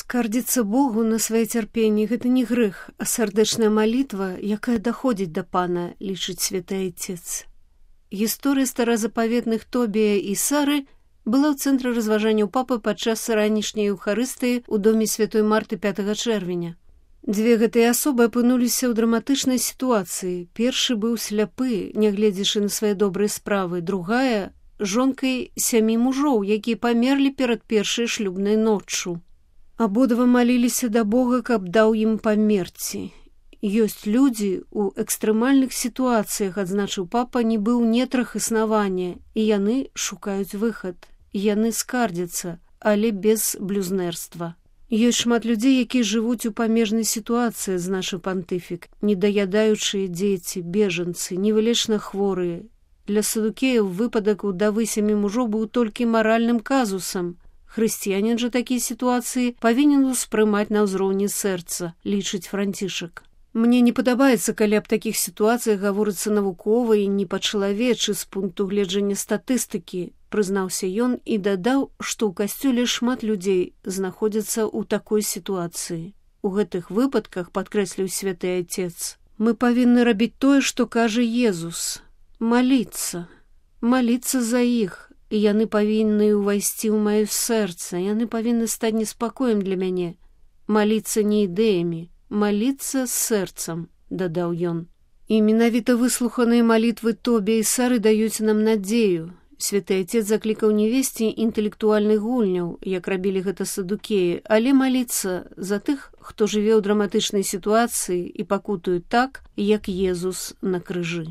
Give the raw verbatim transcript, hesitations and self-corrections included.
Скардзіцца Богу на свае цярпенні – гэта не грэх, а сардэчная малітва, якая даходзіць да Пана, лічыць святы Айцец. Гісторыя старазапаветных Тобія і Сары была ў цэнтры разважанняў папы падчас ранішняй еўхарыстыі ў доме святой Марты пятага чэрвеня. Дзве гэтыя асобы апынуліся ў драматычнай сітуацыі. Першы быў сляпы, нягледзячы на свае добрыя справы, другая – жонкай сямі мужоў, якія памерлі перад першай шлюбнай ноччу. Абодва маліліся да Бога, каб даў ім памерці. Ёсць людзі ў экстрэмальных сітуацыях, адзначыў папа, нібы ў нетрах існавання, і яны шукаюць выхад. Яны скардзяцца, але без блюзнерства. Ёсць шмат людзей, якія жывуць у памежнай сітуацыі, адзначыў пантыфік, недаядаючыя дзеці, бежанцы, невылечна хворыя. Для садукеяў выпадак удавы сямі мужоў быў толькі маральным казусам. Хрысціянін жа такія сітуацыі павінен успрымаць на ўзроўні сэрца, лічыць Францішак. Мне не падабаецца, калі аб такіх сітуацыях гаворыцца навукова і не па-чалавечы з пункту гледжання статыстыкі, прызнаўся ён і дадаў, што ў касцёле шмат людзей знаходзяцца ў такой сітуацыі. У гэтых выпадках, падкрэсліў святы Айцец, мы павінны рабіць тое, што кажа Езус. Маліцца, маліцца за іх. І яны павінны ўвайсці ў маё сэрца, яны павінны стаць неспакоем для мяне. Маліцца не ідэямі, маліцца з сэрцам, дадаў ён. І менавіта выслуханыя малітвы Тобія і Сары даюць нам надзею. Святы Айцец заклікаў не весці інтэлектуальных гульняў, як рабілі гэта садукеі, але маліцца за тых, хто жыве ў драматычнай сітуацыі і пакутуе так, як Езус на крыжы.